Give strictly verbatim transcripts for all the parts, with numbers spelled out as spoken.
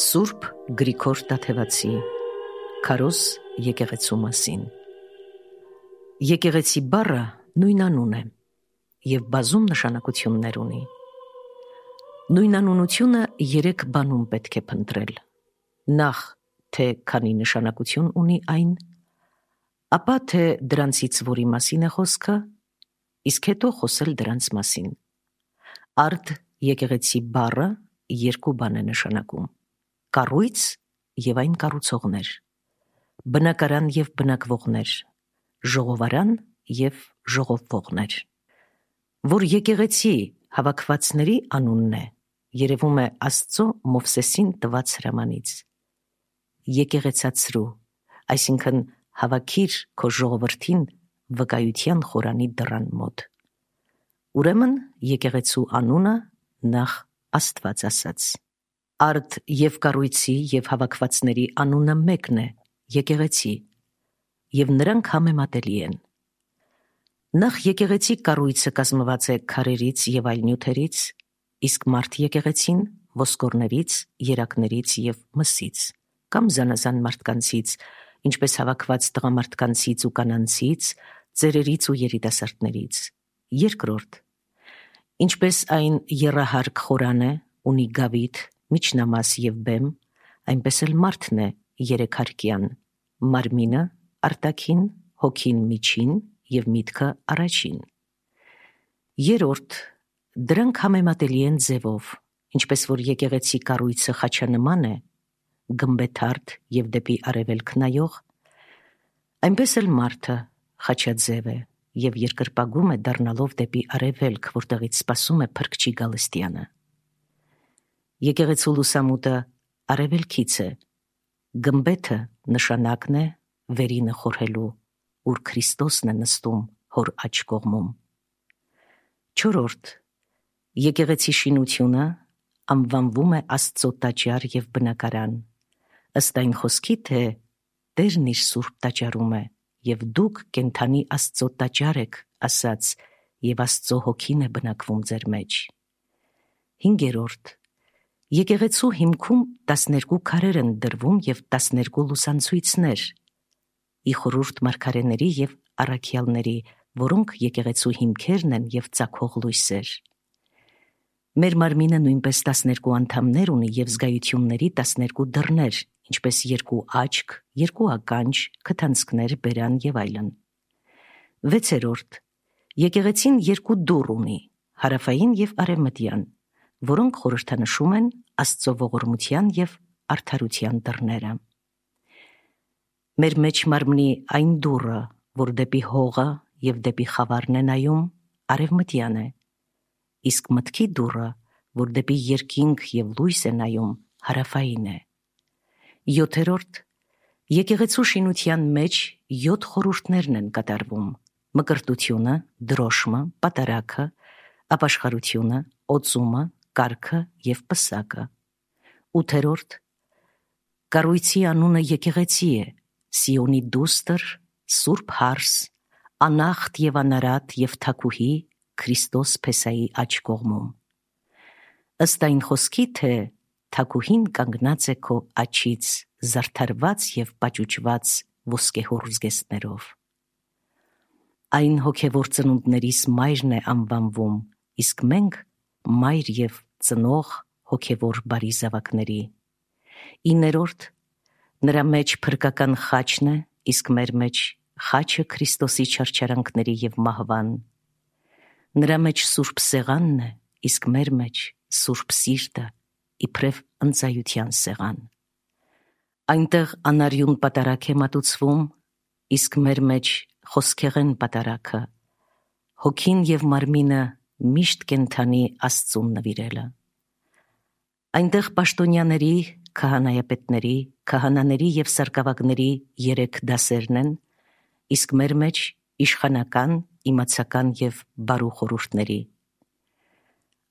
Սուրբ Գրիգոր Տաթևացի Քարոզ եկեղեցու մասին։ Եկեղեցի բառը նույնանուն է և բազում նշանակություններ ունի։ Նույնանունությունը երեք բանում պետք է փնտրել. նախ, թե քանի նշանակություն ունի այն, ապա թե դրանցից որի մասին է խոսքը, իսկ հետո խոսել դրանց մասին։ Արդ եկեղեցի բառը երկու բան է նշանակում. կառույց և այն կառուցողներ, բնակարան և բնակվողներ, ժողովարան և ժողովվողներ։ Որ եկեղեցի հավաքվածների անունն է, երևում է Աստծո Մովսեսին տված հրամանից. եկեղեցացրու, այսինքն հավաքիր քո ժողովրդին վկայության խորանի դռան մոտ։ Ուրեմն եկեղեցու անունը նախ Աստված ասաց։ Արդ և կառույցի և հավաքվածների անունը մեկն է, եկեղեցի, և նրանք համեմատելի են։ Նախ եկեղեցի կառույցը կազմված է քարերից և այլ նյութերից, իսկ մարդ եկեղեցին ոսկորներից, երակներից և մսից, կամ զանազան մարդկանցից, ինչպես հավաքված տղամարդկանցից ու կանանցից, ծերերից ու երիտասարդներից։ Երկրորդ, ինչպես այն եռահարկ խորան է, ունի գավիթ, միջնամաս և բեմ, այնպես էլ մարդն է երեքհարկյան, մարմինը արտաքին, հոգին միջին և միտքը առաջին։ Երրորդ, դրանք համեմատելի են ձևով, ինչպես որ եկեղեցի կառույցը խաչանման է, գմբեթարդ և դեպի արևելք նայող, այնպես էլ մարդը խաչաձև է և երկրպագում է դառնալով դեպի արևելք, որտեղից սպասում է Փրկչի գալստյանը։ Եկեղեցու լուսամուտը արևելքից է, գմբեթը նշանակն է վերինը խորհելու, ուր Քրիստոսն է նստում հոր աջ կողմում։ Չորրորդ, եկեղեցի շինությունը անվանվում է Աստծո տաճար և բնակարան, ըստ այն խոսքի, թե Տերն իր սուրբ տաճարում է, և դուք կենդանի Աստծո տաճար եք, ասաց, և Աստծո հոգին է բնակվում ձեր մեջ։ Հինգերորդ, եկեղեցու հիմքում տասներկու քարեր են դրվում և տասներկու լուսանցույցներ՝ ի խորհուրդ մարգարեների և առաքյալների, որոնք եկեղեցու հիմքերն են և ծագող լույսեր։ Մեր մարմինը նույնպես տասներկու անդամներ ունի և զգայությունների տասներկու դռներ, ինչպես երկու աչք, երկու ականջ, քթանցքներ, բերան և այլն։ Վեցերորդ, եկեղեցին երկու դուռ ունի՝ հարավային և արևմտյան, որոնք խորհրդանշում են Աստծո ողորմության և արդարության դռները։ Մեր մեջ մարմնի այն դուռը, որ դեպի հողը և դեպի խավարն է նայում, արևմտյան է, իսկ մտքի դուռը, որ դեպի երկինք և լույս է նայում, հարավային է։ Յոթերորդ, եկեղեցու շինության մեջ յոթ խորհուրդներն են կատարվում՝ մկրտությունը, դրոշմը, պատարագը, ապաշխարությունը, օծումը, կարգը և պսակը։ Ութերորդ, կառույցի անունը եկեղեցի է, Սիոնի դուստր, Սուրբ Հարս, անախտ և անարատ և թագուհի Քրիստոս փեսայի աջ կողմում։ Ըստ այն խոսքի, թե թագուհին կանգնած է քո աջից, զարդարված և պաճուճված ոսկեհոռ զգեստներով։ Այն հոգևոր ծնունդներիս մայրն է անվանվում, իսկ մենք մայր և ծնող հոգևոր բարի զավակների։ Իններորդ, նրա մեջ փրկական խաչն է, իսկ մեր մեջ խաչը Քրիստոսի չարչարանքների և մահվան։ Նրա մեջ սուրբ սեղանն է, իսկ մեր մեջ սուրբ սիրտը, իբրև ընծայության սեղան։ Այնտեղ անարյուն պատարագ է մատուցվում, իսկ մեր մեջ խոսքեղեն պատարագը, հոգին և մարմինը միշտ կենդանի Աստծուն նվիրելը։ Այնտեղ պաշտոնյաների, քահանայապետների, քահանաների և սարկավագների երեք դասերն են, իսկ մեր մեջ իշխանական, իմացական և բարու խորհուրդների։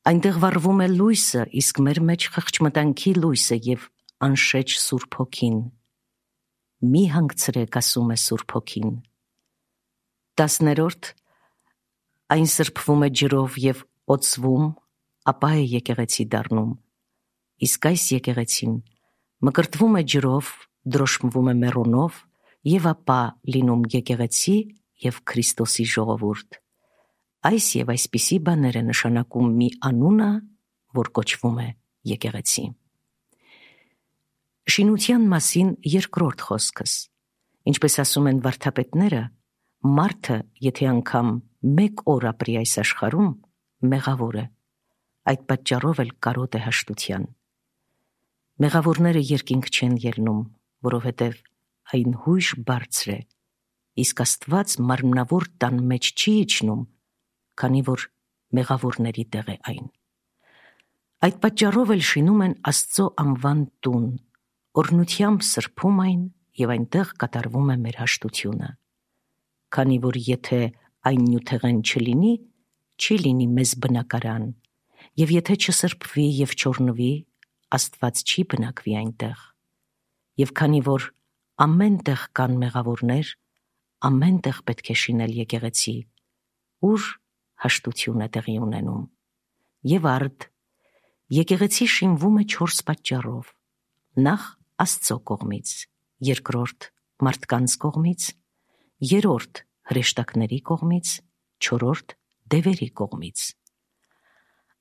Այնտեղ վառվում է լույսը, իսկ մեր մեջ խղճմտանքի լույսը և անշեջ Սուրբ Հոգին։ Մի հանգցրեք, ասում է Սուրբ Հոգին։ Տասներորդ, այն սրբվում է ջրով և օծվում, ապա է եկեղեցի դառնում, իսկ այս եկեղեցին մկրտվում է ջրով, դրոշմվում է մեռոնով եւ ապա լինում եկեղեցի եւ Քրիստոսի ժողովուրդ։ Այս եւ այսպիսի բաներ է նշանակում մի անունը, որ կոչվում է եկեղեցի։ Շինության մասին երկրորդ խոսքս։ Ինչպես ասում են վարդապետները, մարդը, եթե անգամ մեկ օր ապրի այս աշխարհում, մեղավոր է, այդ պատճառով էլ կարոտ է հաշտության։ Մեղավորները երկինք չեն ելնում, որովհետև այն հույժ բարձր է, իսկ Աստված մարմնավոր տան մեջ չի իջնում, քանի որ մեղավորների տեղ է այն։ Այդ պատճառով էլ շինում են Աստծո անվան տուն, օրհնությամբ սրբում այն եւ այնտեղ կատարվում է մեր հաշտությունը։ Քանի որ եթե այն նյութեղեն չլինի, չի լինի մեզ բնակարան, եւ եթե չսրբվի եւ չօրհնվի, Աստված չի բնակվի այնտեղ։ Եվ քանի որ ամեն տեղ կան մեղավորներ, ամեն տեղ պետք է շինել եկեղեցի, ուր հաշտություն է տեղի ունենում։ Եվ արդ, եկեղեցի շինվում է չորս պատճառով. նախ Աստծո կողմից, երկրորդ մարդկանց կողմից, երրորդ հրեշտակների կողմից, չորրորդ դևերի կողմից։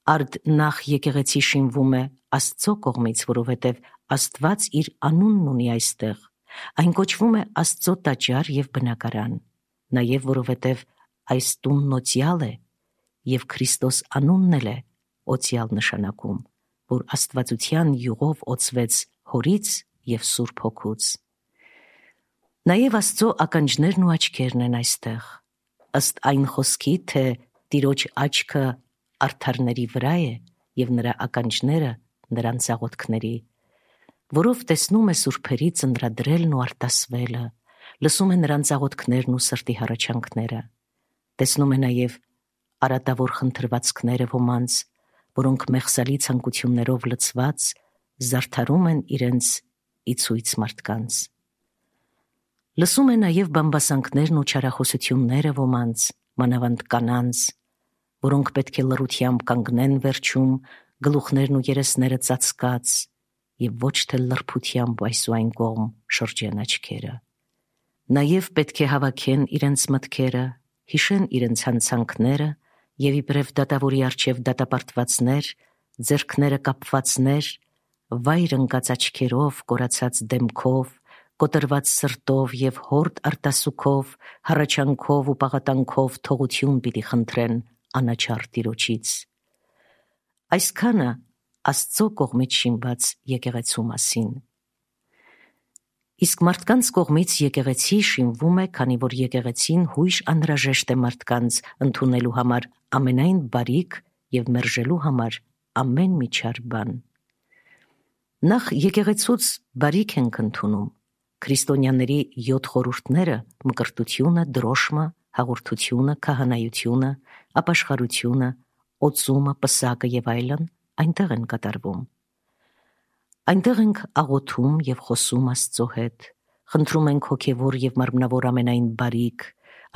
Արդ նախ եկեղեցի շինվում է Աստծո կողմից, որովհետև Աստված իր անունն ունի այստեղ, այն կոչվում է Աստծո տաճար եւ բնակարան, նաեւ որովհետև այս տունն օծյալ է եւ Քրիստոս անունն էլ է օծյալ նշանակում, որ աստվածության յուղով օծվեց Հորից եւ Սուրբ Հոգուց։ Նաեւ Աստծո ականջներն ու աչքերն են այստեղ, ըստ այն խոսքի, թե Տիրոջ աչքը արդարների վրա է եւ նրա ականջները նրանց աղոթքների, որով տեսնում է սուրբերի ծննդրելն ու արտասվելը, լսում է նրանց աղոթքներն ու սրտի հառաչանքները, տեսնում է նաեւ արատավոր խնդրվածքները ոմանց, որոնք մեղսալի ցանկություններով լցված զարդարում են իրենց իցույց մարդկանց։ Լսում է նաև բամբասանքներն ու չարախոսությունները ոմանց, մանավանդ կանանց, որոնք պետք է լռությամբ կանգնեն վերջում, գլուխներն ու երեսները ծածկած, եւ ոչ թե լրբությամբ այս ու այն կողմ շրջեն աչքերը։ Նաև պետք է հավաքեն իրենց մտքերը, հիշեն իրենց հանցանքները եւ իբրև դատավորի առջև դատապարտվածներ, ձեռքները կապվածներ, վայր ընկած աչքերով, կորացած դեմքով, կոտրված սրտով եւ հորդ արտասուքով, հառաչանքով ու պաղատանքով թողություն պիտի խնդրեն անաչառ Տիրոջից։ Այսքանը Աստծո կողմից շինված եկեղեցու մասին։ Իսկ մարդկանց կողմից եկեղեցի շինվում է, քանի որ եկեղեցին հույժ անհրաժեշտ է մարդկանց ընդունելու համար ամենայն բարիք եւ մերժելու համար ամեն մի չար բան։ Նախ եկեղեցուց բարիք ենք ընդունում։ Քրիստոնյաների յոթ խորհուրդները՝ մկրտությունը, դրոշմը, հաղորդությունը, քահանայությունը, ապաշխարությունը, օծումը, պսակը եւ այլն, այնտեղ են կատարվում։ Այնտեղ ենք աղոթում եւ խոսում Աստծո հետ, խնդրում ենք հոգեվոր եւ մարմնավոր ամենայն բարիք,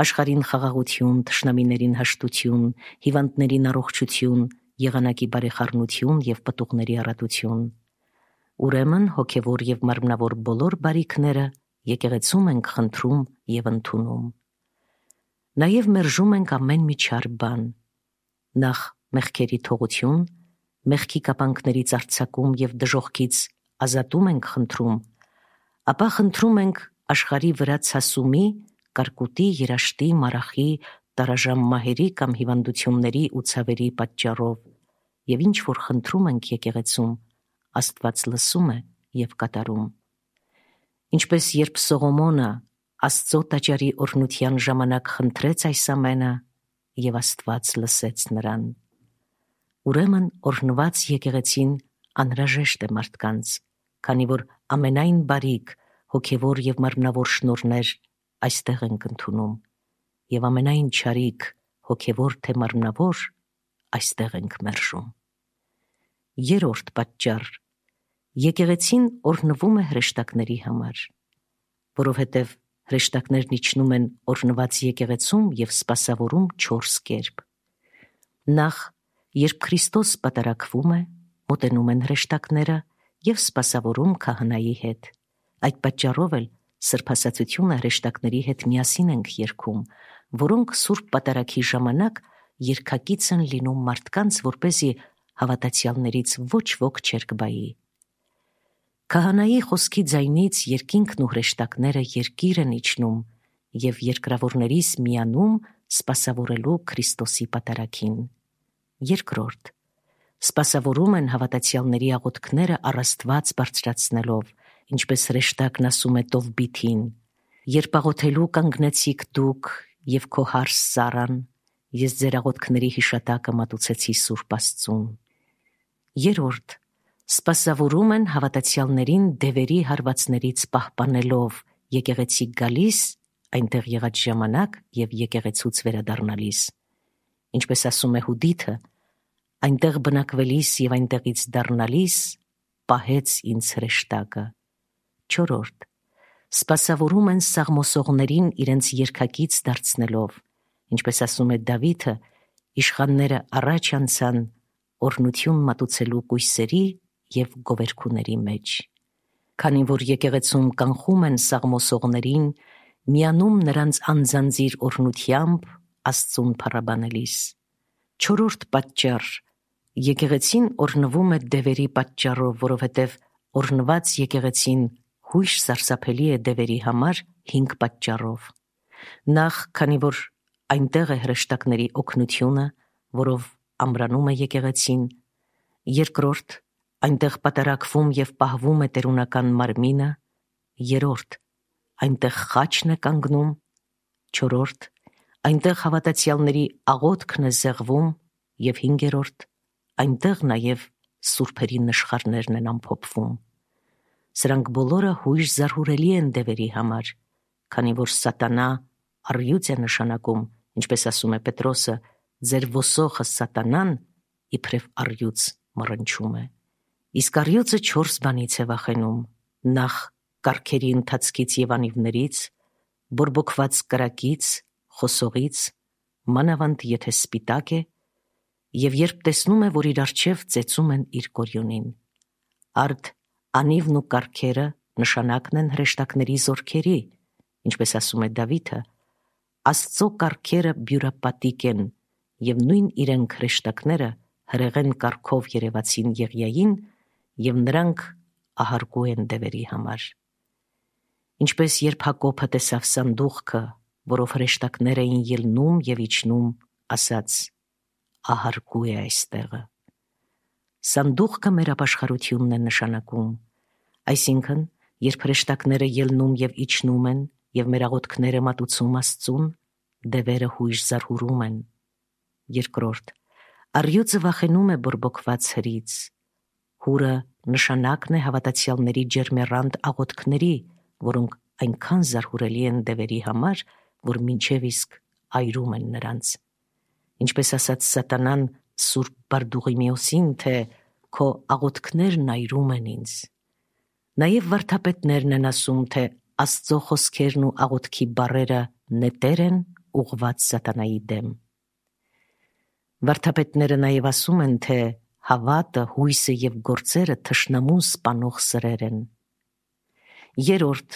աշխարհին խաղաղություն, թշնամիներին հաշտություն, հիվանդներին առողջություն, եղանակի բարեխառնություն եւ պտուղների առատություն։ Ուրեմն հոգեվոր եւ մարմնավոր բոլոր բարիքները եկեղեցում ենք խնդրում եւ ընդունում։ Նաեւ մերժում ենք ամեն մի չար բան։ Նախ մեղքերի թողություն, մեղքի կապանքներից արձակում եւ դժոխքից ազատում ենք խնդրում, ապա խնդրում ենք աշխարհի վրա ցասումի, կարկուտի, երաշտի, մարախի, տարաժամ մահերի կամ հիվանդությունների ու ցավերի պատճառով, եւ ինչ որ խնդրում ենք եկեղեցում, Աստված լսում է եւ կատարում։ Ինչպես երբ Սողոմոնը Աստծո տաճարի օրհնության ժամանակ խնդրեց այս ամենը, եւ Աստված լսեց նրան։ Ուրեմն օրհնված եկեղեցին անհրաժեշտ է մարդկանց, քանի որ ամենայն բարիք, հոգեվոր եւ մարմնավոր շնորհներ այստեղ ենք ընդունում, եւ ամենայն չարիք, հոգեվոր թե մարմնավոր, այստեղ ենք մերժում։ Երրորդ պատճառ. եկեղեցին օրհնվում է հրեշտակների համար, որովհետև հրեշտակներն իջնում են օրհնված եկեղեցում եւ սպասավորում չորս կերպ։ Նախ, երբ Քրիստոս պատարակվում է, մոտենում են հրեշտակները և սպասավորում քահանայի հետ։ Այդ պատճառով էլ սրբասացությունը հրեշտակների հետ միասին ենք երգում, որոնք Սուրբ Պատարագի ժամանակ երգակից են լինում մարդկանց, որպեսզի հավատացյալներից ոչ ոք չերկբայի։ Քահանայի խոսքի ձայնից երկինքն ու հրեշտակները երկիր են իջնում և երկրավորներից միանում սպասավորելու Քրիստոսի պատարագին։ Երկրորդ, սպասավորում են հավատացյալների աղոթքները առ Աստված բարձրացնելով, ինչպես հրեշտակն ասում է Տովբիթին. «Երբ աղոթելու կանգնեցիք դուք և քո հարս Սառան, ես ձեր աղոթքների հիշատակը մատուցեցի Սուրբ Աստծուն»։ Երրորդ, սպասավորում են հավատացյալներին դևերի հարվածներից պահպանելով, եկեղեցի գալիս, այնտեղ եղած ժամանակ և եկեղեցուց վերադառնալիս։ Ինչպես ասում է Հուդիթը. «Այնտեղ բնակվելիս և այնտեղից դառնալիս պահեց ինձ հրեշտակը»։ Չորրորդ, սպասավորում են սաղմոսողներին իրենց երգակից դարձնելով, ինչպես ասում է Դավիթը. «Իշխանները առաջ անցան օրհնություն մատուցելու կույսերի և գովերգուների մեջ»։ Քանի որ եկեղեցում կանխում են սաղմոսողներին, միանում նրանց անձանձիր օրհնությամբ Աստծուն փառաբանելիս։ Չորրորդ պատճառ. եկեղեցին օրհնվում է դևերի պատճառով, որովհետև օրհնված եկեղեցին հույժ սարսափելի է դևերի համար հինգ պատճառով։ Նախ, քանի որ այնտեղ է հրեշտակների օգնությունը, որով ամրանում է եկեղեցին։ Երկրորդ, այնտեղ պատարագվում և պահվում է տերունական մարմինը։ Երրորդ, այնտեղ խաչն է կանգնում։ Չորրորդ, այնտեղ հավատացյալների աղոթքն է զեղվում։ Եվ հինգերորդ, այնտեղ նաև սուրբերի նշխարներն են ամփոփվում։ Սրանք բոլորը հույժ զարհուրելի են դևերի համար, քանի որ սատանա առյուծ է նշանակում, ինչպես ասում է Պետրոսը. «Ձեր ոսոխը Սատանան իբրև առյուծ մռնչում է»։ Իսկ առյուծը չորս բանից է վախենում. նախ կառքերի ընթացքից և անիվներից, բորբոքված կրակից, խոսողից, մանավանդ եթե սպիտակ է, և երբ տեսնում է, որ իր առջև ծեծում են իր կորյունին։ Արդ անիվն ու կառքերը նշանակն են հրեշտակների զորքերի, ինչպես ասում է Դավիթը. «Աստծո կառքերը բյուրապատիկ են, և նույն իրենք հրեշտակները հրեղեն կառքով երևացին Եղիային, և նրանք ահարկու են դևերի համար»։ Ինչպես երբ Հակոբը տեսավ սանդուղքը, որով հրեշտակներ էին ելնում և իջնում, ասաց. «Ահարկու է այստեղը»։ Սանդուղքը մեր ապաշխարությունն է նշանակում, այսինքն, երբ հրեշտակները ելնում և իջնում են և մեր աղոթքները մատուցում Աստծուն, դևերը հույժ զարհուրում են։ Երկրորդ, առյուծը վախենում է բորբոքված հրից։ Հուրը նշանակն է հավատացյալների ջերմեռանդ աղոթքների, որոնք այնքան զարհուրելի են դևերի համար, որ մինչև իսկ այրում են նրանց։ Ինչպես ասաց սատանան Սուրբ Բարդուղիմեոսին, թե «Քո աղոթքներն այրում են ինձ»։ Նաև վարդապետներն են ասում, թե Աստծո խոսքերն ու աղոթքի բառերը նետեր են ուղղված սատանայի դեմ։ Վարդապետները նաև ասում են, թե հավատը, հույսը և գործերը թշնամուն սպանող սրեր են։ Երրորդ,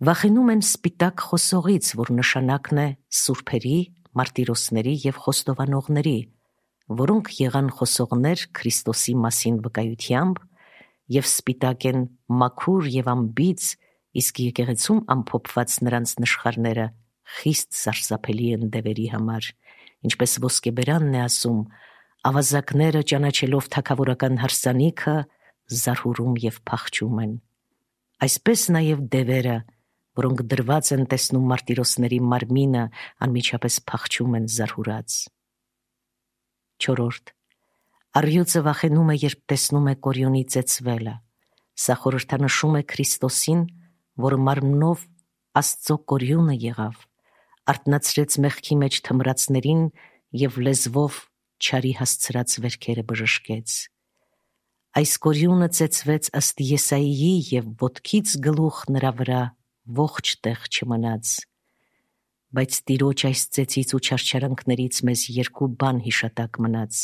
վախենում են սպիտակ խոսողից, որ նշանակն է սուրբերի, մարտիրոսների և խոստովանողների, որոնք եղան խոսողներ Քրիստոսի մասին վկայությամբ և սպիտակ են մաքուր և անբիծ, իսկ եկեղեցում ամփոփված նրանց նշխարները խիստ սարսափելի են դևերի համար, ինչպես ոսկեբերանն է ասում. «Ավազակները ճանաչելով թագավորական հարսանիքը, զարհուրում և փախչում են»։ Այսպես նաև դևերը, որոնք դրված են տեսնում մարտիրոսների մարմինը, անմիջապես փախչում են զարհուրած։ Չորրորդ, առյուծը վախենում է, երբ տեսնում է կորյունի ծեծվելը։ Սա խորհրդանշում է Քրիստոսին, որը մարմնով Աստծո կորյունը եղավ, արթնացրեց մեղքի մեջ թմրածներին և լեզվով չարի հասցրած վերքերը բժշկեց։ Այս կորյունը ծեծվեց ըստ Եսայիի, և ոտքից գլուխ նրա վրա ողջ տեղ չմնաց։ Բայց Տիրոջ այս ծեծից ու չարչարանքներից մեզ երկու բան հիշատակ մնաց.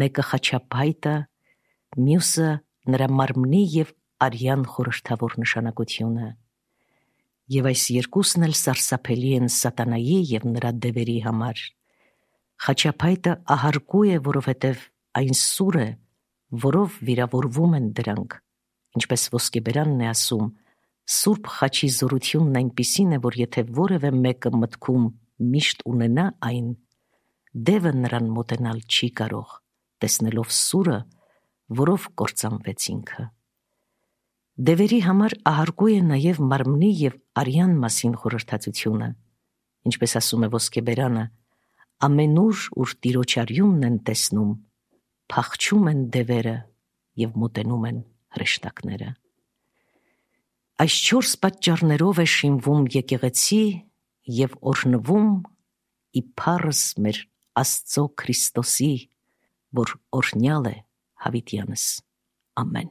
մեկը խաչափայտը, մյուսը նրա մարմնի և արյան խորհրդավոր նշանակությունը։ Եվ այս երկուսն էլ սարսափելի են սատանայի և նրա դևերի համար։ Խաչապայտը ահարկու է, որովհետև այն սուր է, որով վիրավորվում են դրանք, ինչպես ոսկեբերանն է ասում. «Սուրբ խաչի զորությունն այնպիսին է, որ եթե որևէ մեկը մտքում միշտ ունենա այն, դևը նրան մոտենալ չի կարող, տեսնելով սուրը, որով կործանվեց ինքը»։ Դևերի համար ահարկու է նաև մարմնի և արյան մասին խորհրդածությունը, ինչպես ասում է ոսկեբերանը. «Ամենուր, ուր Տիրոջ արյունն են տեսնում, փախչում են դևերը և մոտենում են հրեշտակները»։ Այս չորս պատճառներով է շինվում եկեղեցի և օրհնվում ի փառս մեր Աստծո Քրիստոսի, որ օրհնյալ է հավիտյանս։ Ամեն։